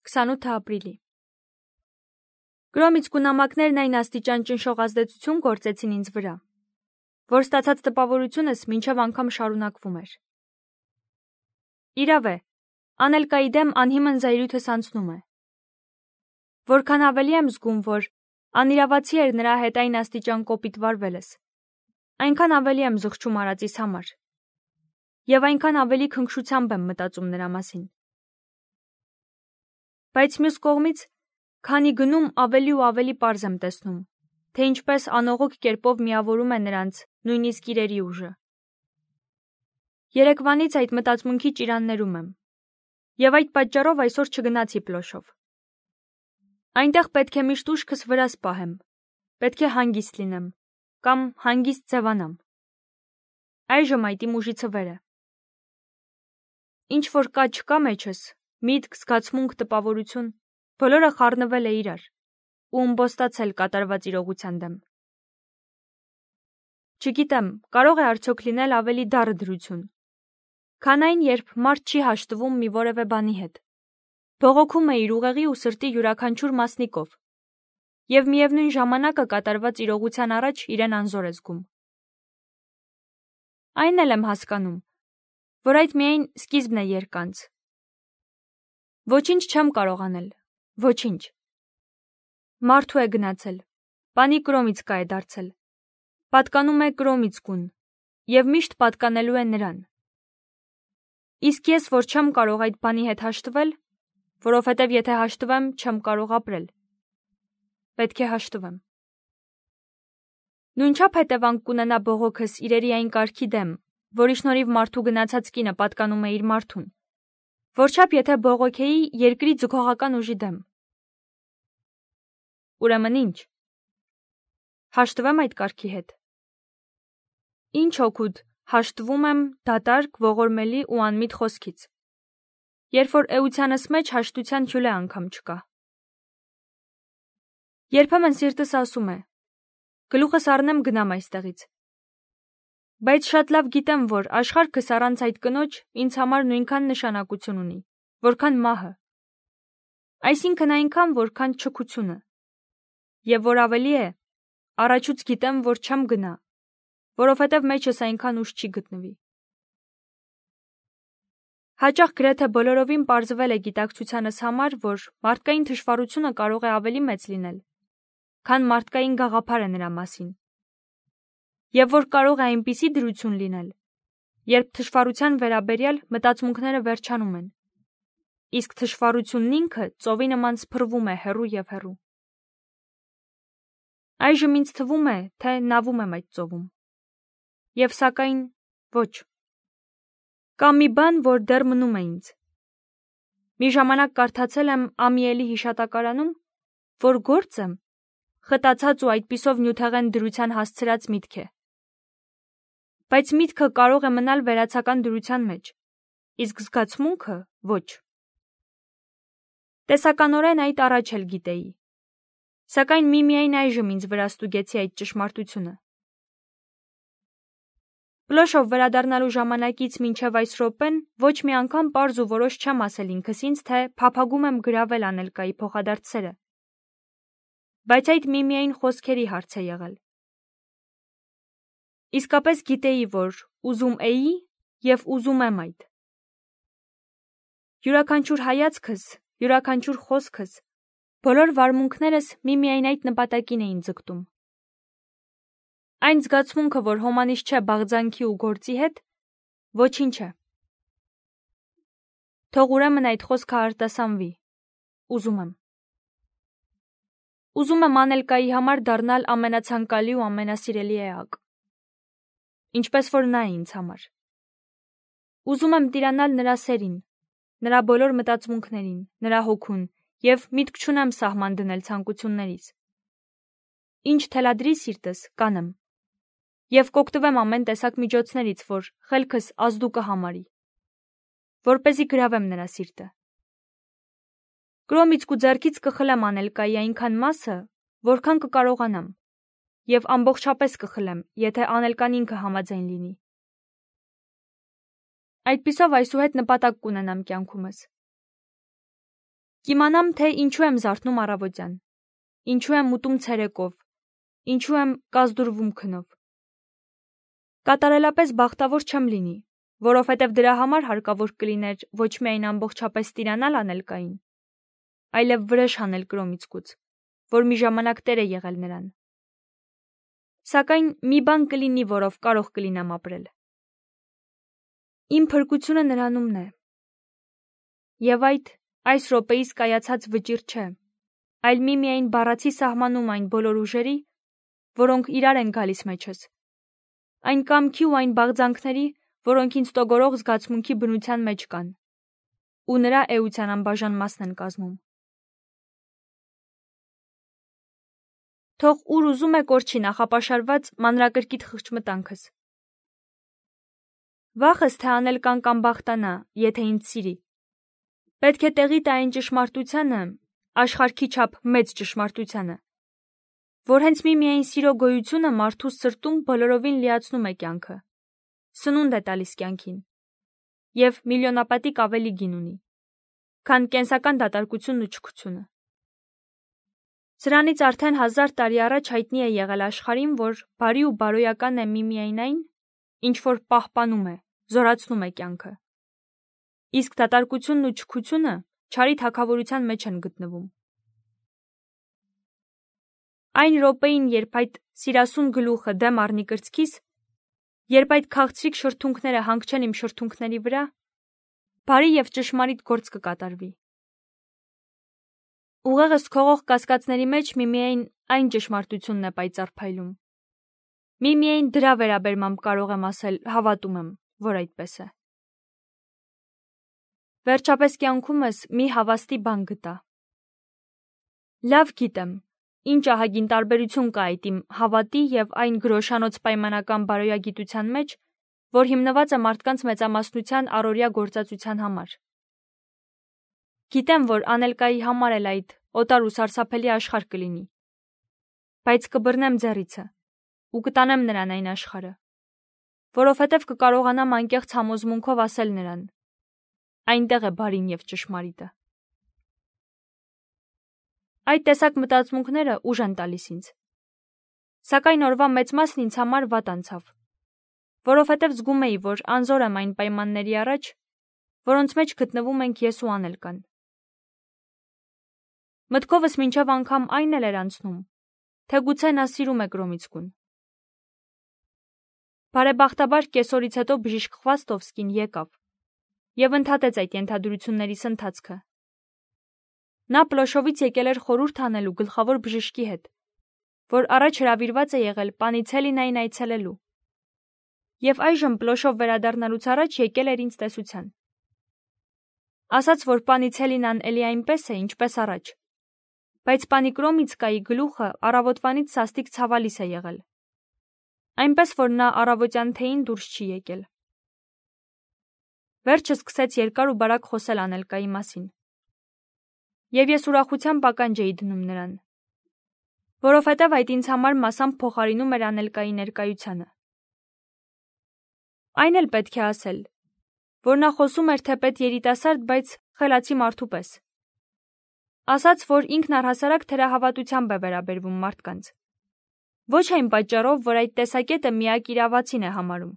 28 ապրիլի։ Գրոմից կունամակներն այն աստիճան ճնշող ազդեցություն գործեցին ինձ վրա, որ ստացած տպավորությունս մինչև անգամ շարունակվում էր։ Իրավ է, Անելկայի դեմ անհիմն զայրույթս անցնում է։ Որքան ավելի եմ զգում, որ անիրավացի էր նրա հետ այն աստիճան կոպիտ վարվելս, այնքան ավելի եմ զղջում արածիս համար, և այնքան ավելի քնքշությամբ եմ մտածում նրա մասին։ Բայց մյուս կողմից, քանի գնում ավելի ու ավելի պարզ եմ տեսնում, թե ինչպես անողոք կերպով միավորում է նրանց նույնիսկ իրերի ուժը։ Երեկվանից այդ մտածմունքի ճիրաններում եմ, և այդ պատճառով այսօր չգնացի Պլոշով։ Այնտեղ պետք է միշտ ուշքս վրաս պահեմ, պետք է հանգիստ լինեմ, կամ հանգիստ ձևանամ։ Այժմ այդ իմ ուժիցը վեր է։ Ինչ որ կա չկա մեջս, միտք, զգացմունք, տպավորություն, բոլորը խառնվել է իրար ու ըմբոստացել կատարված իրողության դեմ։ Չգիտեմ, կարող է արդյոք լինել ավելի դառը դրություն, քան այն, երբ մարդ չի հաշտվում մի որևէ բանի հետ, բողոքում է իր ուղեղի ու սրտի յուրաքանչյուր մասնիկով, և միևնույն ժամանակը կատարված իրողության առաջ իրեն անզոր է զգում։ Այն էլ եմ հասկանում, որ այդ միայն սկիզբն է երկանց։ Ոչինչ չեմ կարող անել, ոչինչ։ Մարդու է գնացել, բանի կրոմից կա է դարձել, պատկանում է կրոմից կուն, և միշտ պատկանելու է նրան։ Իսկ ես, որ չեմ կարող այդ բանի հետ հաշտվել, որովհետև եթե հաշտվեմ, չեմ կարող ապրել, պետք է հաշտվեմ։ Նույնչափ հետևանք կունենա բողոքս իրերի այն կարգի դեմ, որի շնորհիվ մարդու գնացած կինը պատկանում է իր մարդուն, որչափ եթե բողոքեի երկրի ձգողական ուժի դեմ։ Ուրեմն ինչ։ Հաշտվեմ այդ կարգի հետ։ Ինչ օգուտ հաշտվում եմ դատարկ, ողորմելի ու անմիտ խոսքից, երբ որ էությանս մեջ հաշտության հյուլե անգամ չկա։ Երբեմն սիրտս ասում է. գլուխս առնեմ գնամ այստեղից։ Բայց շատ լավ գիտեմ, որ աշխարհքս առանց այդ կնոջ ինձ համար նույնքան նշանակություն ունի, որքան մահը։ Այսինքն այնքան, որքան չքությունը։ Եվ որ ավելի է, առաջուց գիտեմ, որ չեմ գնա, որովհետև մեջս այնքան ուժ չի գտնվի։ Հաճախ գրեթե բոլորովին պարզվել է գիտակցությանս համար, որ մարդկային թշվառությունը կարող է ավելի մեծ լինել, քան մարդկային գաղափարը նրա մասին, և որ կարող է այնպիսի դրություն լինել, երբ թշվառության վերաբերյալ մտածմունքները վերջանում են, իսկ թշվառությունն ինքը ծովի նման սփռվում է հեռու և հեռու։ Այժմ ինձ թվում է, թե նավում եմ այդ ծովում։ Եվ սակայն ոչ։ Կա մի բան, որ դեռ մնում է ինձ։ Մի ժամանակ կարդացել եմ Ամիելի հիշատակարանում, որ գործը խտացած ու այդպիսով նյութեղեն դրության հասցրած միտք է։ Բայց միտքը կարող է մնալ վերացական դրության մեջ, իսկ զգացմունքը ոչ։ Տեսականորեն այդ առաջ էլ գիտեի, սակայն միմիայն այժմ ինձ վրա ստուգեցի այդ ճշմարտությունը։ Պլոշով վերադառնալու ժամանակից մինչև այս րոպեն ոչ մի անգամ պարզ ու որոշ չեմ ասել ինքս ինձ, թե փափագում եմ գրավել Անելկայի փոխադարձ սերը, բայց այդ միմիայն խոսքերի հարց է եղել։ Իսկապես գիտեի, որ ուզում էի և ուզում եմ այդ։ Յուրաքանչյուր հայացքս, յուրաքանչյուր խոսքս, բոլոր վարմունքներս միմիայն այդ նպատակին էին ձգտում։ Այն զգացմունքը, որ հոմանիշ չէ բաղձանքի ու գործի հետ, ոչինչ է։ Թող ուրեմն այդ խոսքը արտասանվի։ Ուզում եմ։ Ուզում եմ Անելկայի համար դառնալ ամենացանկալի ու ամենասիրելի էակ, ինչպես որ նա է ինձ համար։ Ուզում եմ տիրանալ նրա սերին, նրա բոլոր մտածմունքներին, նրա հոգուն, և միտք չունեմ սահման դնել ցանկություններիս։ Ինչ թելադրի սիրտս, կանեմ, և կօգտվեմ ամեն տեսակ միջոցներից, որ խելքս ազդու կհամարի, որպեսզի գրավեմ նրա սիրտը։ Կրոմից ու ձեռքից կխլեմ Անելկայի այնքան մասը, որքան կկարողանամ, և ամբողջապես կխլեմ, եթե Անելկան ինքը համաձայն լինի։ Այդպիսով այսուհետ նպատակ կունենամ կյանքումս։ Կիմանամ, թե ինչու եմ զարթնում առավոտյան, ինչու եմ ուտում ցերեկով, ինչու եմ կազդուրվում քնով։ Կատարելապես բախտավոր չեմ լինի, որովհետև դրա համար հարկավոր կլիներ ոչ միայն ամբողջապես տիրանալ անելկային, այլև վրեժ հանել կրոմիցկուց, որ մի ժամանակ տեր է եղել նրան։ Սակայն մի բան կլինի, որով կարող կլինեմ ապրել։ Իմ փրկությունը նրանումն է։ Եվ այս րոպեիս կայացած վճիռ չէ, այլ միայն բառացի սահմանում այն բոլոր ուժերի, որոնք իրար են գալիս մեջս, այն կամքի ու այն բաղձանքների, որոնք ինձ տոգորող զգացմունքի բնության մեջ կան, ու նրա էության անբաժան մասն են կազմում։ Թող ուր ուզում է կորչի նախապաշարված մանրակրկիտ խղճմտանքս։ Վախս, թե անել կան կամ բախտանա, եթե ինձ սիրի։ Պետք է տեղի տա այն ճշմարտությանը, աշխարհքի չափ մեծ ճշմարտությանը, որ հենց միայն սիրո գոյությունը մարդու սրտում բոլորովին լիացնում է կյանքը, սնունդ է տալիս կյանքին, և միլիոնապատիկ ավելի գին ունի, քան կենսական դատարկությունն ու չքությունը։ Սրանից արդեն 1000 տարի առաջ հայտնի է եղել աշխարհին, որ բարի ու բարոյական է միայն այն, ինչ որ պահպանում է, զորացնում է կյանքը։ Իսկ դատարկությունն ու չքությունը չարի թագավորության մեջ են գտնվում։ Այն րոպեին, երբ այդ սիրասուն գլուխը դեմ առնի կրծքիս, երբ այդ քաղցրիկ շրթունքները հանգչեն իմ շրթունքների վրա, բարի և ճշմարիտ գործ կկատարվի։ Ուղեղս քողող կասկածների մեջ միայն այն ճշմարտությունն է պայծառ փայլում։ Միայն դրա վերաբերմամբ կարող եմ ասել, հավատում եմ, որ այդպես է։ Վերջապես կյանքումս մի հավաստի բան գտա։ Լավ գիտեմ, ինչ ահագին տարբերություն կա այդ իմ հավատի և այն գրոշանոց պայմանական բարոյագիտության մեջ, որ հիմնված է մարդկանց մեծամասնության առօրյա գործածության համար։ Գիտեմ, որ անելկայի համար էլ այդ օտար ու սարսափելի աշխարհ կլինի, բայց կբռնեմ ձեռիցը ու կտանեմ նրան այն աշխարհը, որովհետև կկարողանամ անկեղծ համոզմունքով ասել նրան. այնտեղ է բարին և ճշմարիտը։ Այդ տեսակ մտածմունքները ուժ են տալիս ինձ։ Սակայն օրվա մեծ մասն ինձ համար վատ անցավ, որովհետև զգում էի, որ անզոր եմ այն պայմանների առաջ, որոնց մեջ գտնվում ենք ես ու անելկան։ Մտքովս մինչև անգամ այն էլ էր անցնում, թե գուցե նա սիրում է Կրոմիցկուն։ Բարեբախտաբար կեսօրից հետո բժիշկ Խվաստովսկին եկավ և ընդհատեց այդ ենթադրություններիս ընթացքը։ Նա Պլոշովից եկել էր խորհուրդ անելու գլխավոր բժշկի հետ, որ առաջ հրավիրված է եղել Պանիցելինային այցելելու, և այժմ Պլոշով վերադառնալուց առաջ եկել էր ինձ տեսության։ Ասաց, որ Պանիցելինան էլի այնպես է, ինչպես առաջ, բայց պանի Կրոմիցկայի գլուխը առավոտվանից սաստիկ ցավալիս է եղել, այնպես որ նա առավոտյան թեյին դուրս չի եկել։ Վերջը սկսեց երկար ու բարակ խոսել անելկայի մասին, և ես ուրախությամբ ականջ էի դնում նրան, որովհետև այդ ինձ համար մասամբ փոխարինում էր անելկայի ներկայությանը։ Այն էլ պետք է ասել, որ նա խոսում էր թեպետ երիտասարդ, բայց խելացի մարդու պես։ Ասաց, որ ինքն առհասարակ թերահավատությամբ է վերաբերվում մարդկանց։ Ոչ այն պատճառով, որ այդ տեսակետը միակ իրավացին է համարում,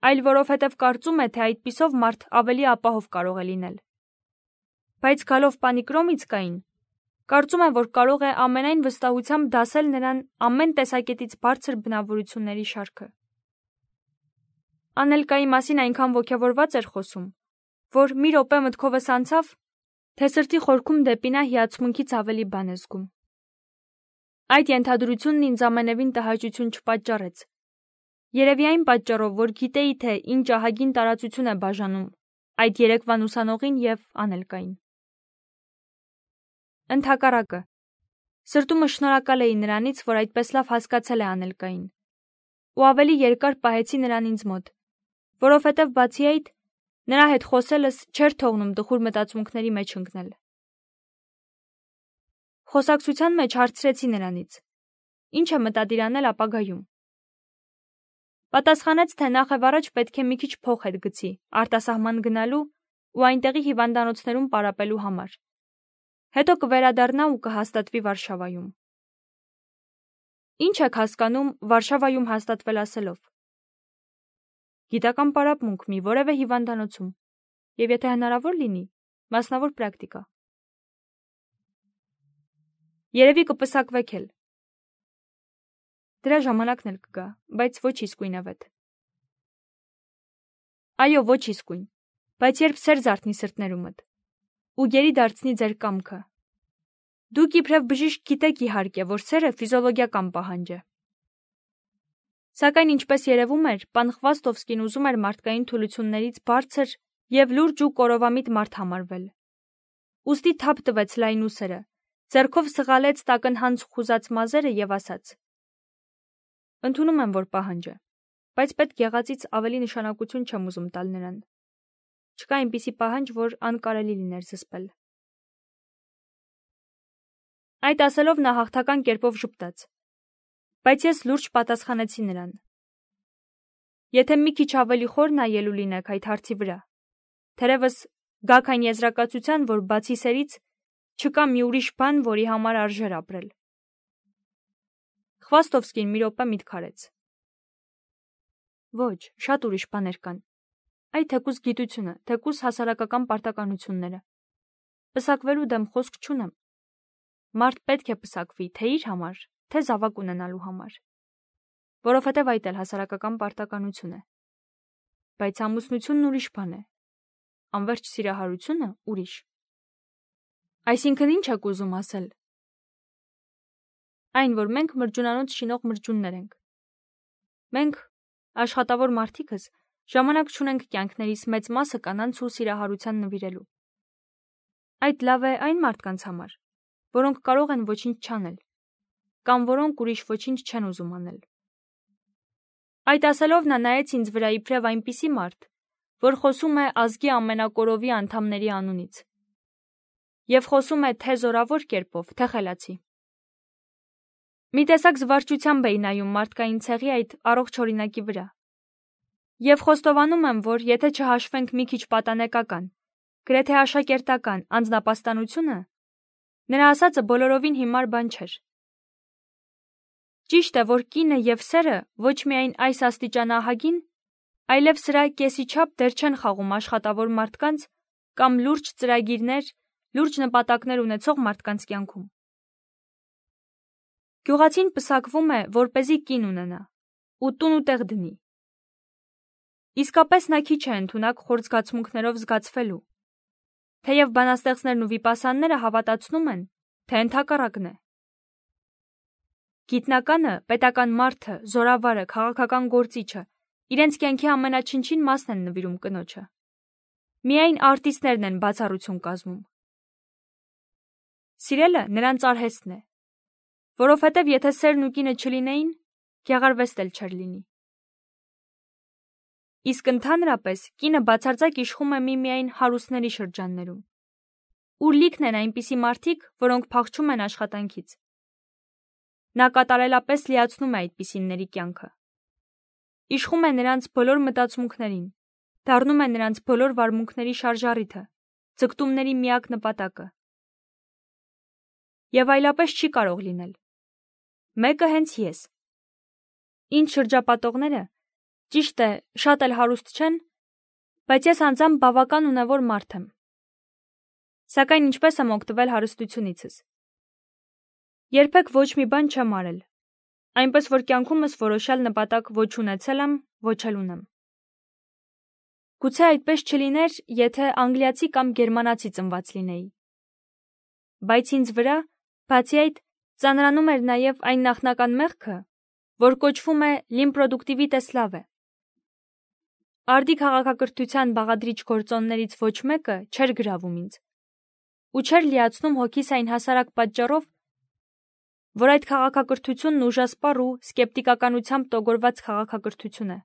այլ որովհետև կարծում է, թե այդպիսով մարդ ավելի ապահով կարող է լինել։ Բայց գալով պանի Կրոմիցկային, կարծում է, որ կարող է ամենայն վստահությամբ դասել նրան ամեն տեսակետից բարձր բնավորությունների շարքը։ Անելկայի մասին այնքան ոգևորված էր խոսում, որ մի րոպե մտքովս անցավ, թե սրտի խորքում դեպի նա հիացմունքից ավելի բան է զգում։ Այդ ենթադրությունն ինձ ամենևին տհաճություն չպատճառեց։ Երևի այն պատճառով, որ գիտեի, թե ինչ ահագին տարածություն է բաժանում այդ երեկվան ուսանողին և անելկային։ Ընդհակառակը, սրտումս շնորհակալ էի նրանից, որ այդպես լավ հասկացել է անելկային, ու ավելի երկար պահեցի նրան ինձ մոտ, որովհետև բացի այդ, նրա հետ խոսելս չէր թողնում տխուր մտածմունքների մեջ ընկնել։ Խոսակցության մեջ հարցրեցի նրանից. ինչ է մտադիր անել ապագայում։ Պատասխանեց, թե նախևառաջ պետք է մի քիչ փող հետ գցի արտասահման գնալու ու այնտեղի հիվանդանոցներում պարապելու համար, Հետո կվերադառնա ու կհաստատվի Վարշավայում։ Ինչ եք հասկանում Վարշավայում հաստատվել ասելով։ Գիտական պարապմունք մի որևէ հիվանդանոցում, եւ եթե հնարավոր լինի, մասնավոր պրակտիկա։ Երևի կպսակվեք էլ։ Դրա ժամանակն էլ կգա, բայց ոչ իսկույնավետ։ Այո, ոչ իսկույն, բայց երբ սեր զարթնի սրտներումդ, ու գերի դարձնի ձեր կամքը։ Դուք իբրև բժիշկ գիտեք իհարկե, որ սերը ֆիզիոլոգիական պահանջ է։ Սակայն ինչպես երևում էր, պան Խվաստովսկին ուզում էր մարդկային թուլություններից բարձր եւ լուրջ ու կորովամիտ մարդ համարվել։ Ուստի թափ տվեց լայն ուսերը, ձեռքով սղալեց տակնհանց խուզած մազերը եւ ասաց. Ընդունում եմ, որ պահանջ է, բայց պետք եղածից ավելի նշանակություն չեմ ուզում տալ նրան։ Չկա այնպիսի պահանջ, որ անկարելի լիներ զսպել։ Այդ ասելով նա հաղթական կերպով ժպտաց, բայց ես լուրջ պատասխանեցի նրան. Եթե մի քիչ ավելի խոր նայելու լինեք այդ հարցի վրա, թերևս գաք այն եզրակացության, որ բացի սերից չկա մի ուրիշ բան, որի համար արժեր ապրել։ Խվաստովսկին մի րոպե միտք արեց։ Ոչ, շատ ուրիշ բաներ կան։ Այդ թեկուզ գիտությունը, թեկուզ հասարակական պարտականությունները։ Պսակվելու դեմ խոսք չունեմ։ Մարդ պետք է պսակվի, թե իր համար, թե զավակ ունենալու համար, որովհետև այդ էլ հասարակական պարտականություն է։ Բայց ամուսնությունն ուրիշ բան է, անվերջ սիրահարությունը ուրիշ։ Այսինքն ինչ եք ուզում ասել։ Այն, որ մենք մրջունանոց շինող մրջուններ ենք։ Մենք, աշխատավոր մարդիկս, ժամանակ չունենք կյանքներիս մեծ մասը կանանց ու սիրահարության նվիրելու։ Այդ լավ է այն մարդկանց համար, որոնք կարող են ոչինչ չանել, կամ որոնք ուրիշ ոչինչ չեն ուզում անել։ Այդ ասելով նա նայեց ինձ վրա իբրև այնպիսի մարդ, որ խոսում է ազգի ամենակորովի անդամների անունից, եւ խոսում է թե զորավոր կերպով, թե խելացի։ Մի տեսակ զվարճությամբ էի նայում մարդկային ցեղի այդ առողջ օրինակի վրա, եւ խոստովանում եմ, որ եթե չհաշվենք մի քիչ պատանեկական, գրեթե աշակերտական անձնապաստանությունը, նրա ասածը բոլորովին հիմար բան չէր։ Ճիշտ է, որ կինը եւ սերը ոչ միայն այս աստիճանահագին, այլև սրա կեսի չափ դեր չեն խաղում աշխատավոր մարդկանց կամ լուրջ ծրագիրներ, լուրջ նպատակներ ունեցող մարդկանց կյանքում։ Գյուղացին պսակվում է, որպեսզի կին ունենա, ու տուն ու տեղ դնի։ Իսկապես նա քիչ է ընդունակ խոր զգացմունքներով զգացվելու, թեև բանաստեղծներն ու վիպասանները հավատացնում են, թե ընդհակառակն է։ Գիտնականը, պետական մարդը, զորավարը, քաղաքական գործիչը իրենց կյանքի ամենաչնչին մասն են նվիրում կնոջը։ Միայն արտիստներն են բացառություն կազմում։ Սիրելը նրանց արհեստն է, որովհետև եթե սերն ու կինը չլինեին, գեղարվեստ էլ չէր լինի։ Իսկ ընդհանրապես կինը բացարձակ իշխում է միմիայն հարուստների շրջաններում, ուր լիքն են այնպիսի մարդիկ, որոնք փախչում են աշխատանքից։ Նա կատարելապես լիացնում է այդպիսիների կյանքը։ Իշխում է նրանց բոլոր մտածմունքներին, դառնում է նրանց բոլոր վարմունքների շարժառիթը, ձգտումների միակ նպատակը։ Եվ այլապես չի կարող լինել։ Մեկը հենց ես։ Ինչ շրջապատողները, ճիշտ է, շատ էլ հարուստ չեն, բայց ես անձամբ բավական ունևոր մարդ եմ։ Սակայն ինչպես եմ օգտվել հարստությունիցս։ Երբեք ոչ մի բան չեմ արել, այնպես որ կյանքումս որոշյալ նպատակ ոչ ունեցել եմ, ոչ էլ ունեմ։ Գուցե այդպես չլիներ, եթե անգլիացի կամ գերմանացի ծնված լինեի։ Բայց ինձ վրա, բացի այդ, ծանրանում էր նաև այն նախնական մեղքը, որ կոչվում է լիմպրոդուկտիվիտե սլավե։ Արդի քաղաքակրթության բաղադրիչ գործոններից ոչ մեկը չէր գրավում ինձ, ու չէր լիացնում հոգիս այն հասարակ պատճառով, որ այդ քաղաքակրթությունն ուժասպառ ու սկեպտիկականությամբ տոգորված քաղաքակրթություն է։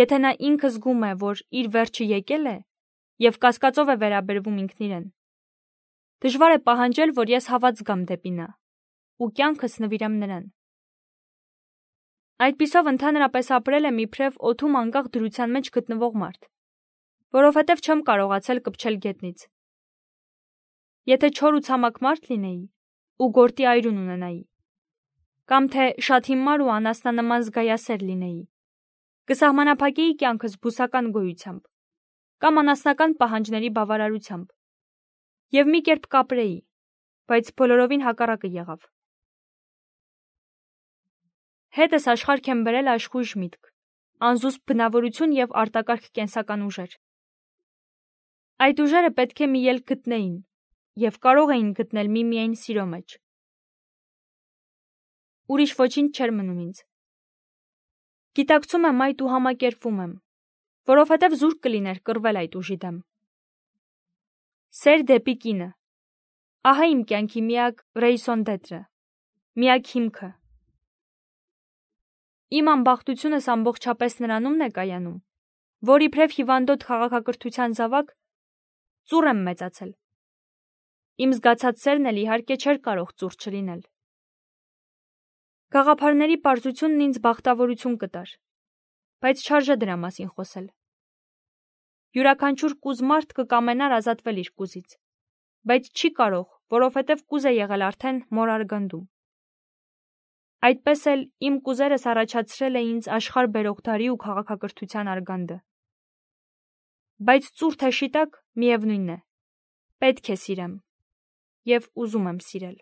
Եթե նա ինքը զգում է, որ իր վերջը եկել է եւ կասկածով է վերաբերվում ինքն իրեն, դժվար է պահանջել, որ ես հավատ զգամ դեպի նա ու կյանքս նվիրեմ նրան։ Այդպիսով ընդհանրապես ապրել եմ իբրև օդում անկախ դրության մեջ գտնվող մարդ, որովհետև չեմ կարողացել կպչել գետնից։ Եթե չոր ու ցամաք մարդ լինեի ու գործի այրուն ունենայի, կամ թե շատ հիմար ու անասնանման զգայասեր լինեի, կսահմանափակեի կյանքս բուսական գոյությամբ, կամ անասնական պահանջների բավարարությամբ, եւ մի կերպ կապրեի, բայց բոլորովին հակառակը եղավ։ Հետս աշխարհ եմ բերել աշխույժ միտք, անզուսպ բնավորություն եւ արտակարգ կենսական ուժեր։ Այդ ուժերը պետք է մի ելք գտնեին եւ կարող էին գտնել միմիայն սիրո մեջ։ Ուրիշ ոչինչ չէր մնում ինձ։ Գիտակցում եմ այդ ու համակերպվում եմ, որովհետև զուրկ կլիներ կռվել այդ ուժի դեմ։ Սեր դեպի կինը։ Ահա իմ կյանքի միակ ռեյսոն դետրը, միակ հիմքը։ Իմ ամբախտությունս ամբողջապես նրանումն է կայանում, որ իբրև հիվանդոտ քաղաքակրթության զավակ ծուռ եմ մեծացել։ Իմ զգացած սերն էլ իհարկե չէր կարող ծուռ չլինել։ Գաղափարների պարզությունն ինձ բախտավորություն կտար, բայց չարժե դրա մասին խոսել։ Յուրաքանչյուր կուզ մարդ կկամենար ազատվել իր կուզից, բայց չի կարող, որովհետև կուզ է եղել արդեն մոր արգանդում։ Այդպես էլ իմ կուզերս առաջացրել է ինձ աշխարհ բերող դարի ու քաղաքակրթության արգանդը։ Բայց ծուռ թե շիտակ, միևնույն է, պետք է սիրեմ, եւ ուզում եմ սիրել։